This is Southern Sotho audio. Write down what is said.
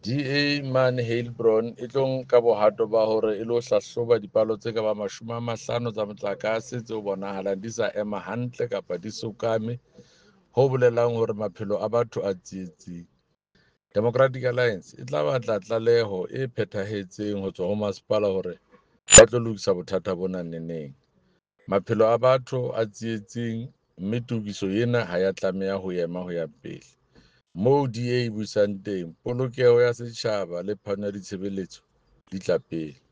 DA mane Heilbron e tlo nka bohato ba hore e lo hlahloba dipalo tse ka bang 50 tsa motlakase tseo bonahalang di sa ema hantle kapa di sokame, ho bolelang hore maphelo a batho a tsietsing. Democratic Alliance e tla batla tlaleho e phethahetseng ho tswa ho masepala hore ba tlo lokisa bothata bona neneng. Maphelo a batho a tsietsing mme tokiso ena ha ya tlameha ho ema ho ya pele. Moo DA e busang teng, polokeho ya setjhaba le phano ya ditshebeletso di tla pele.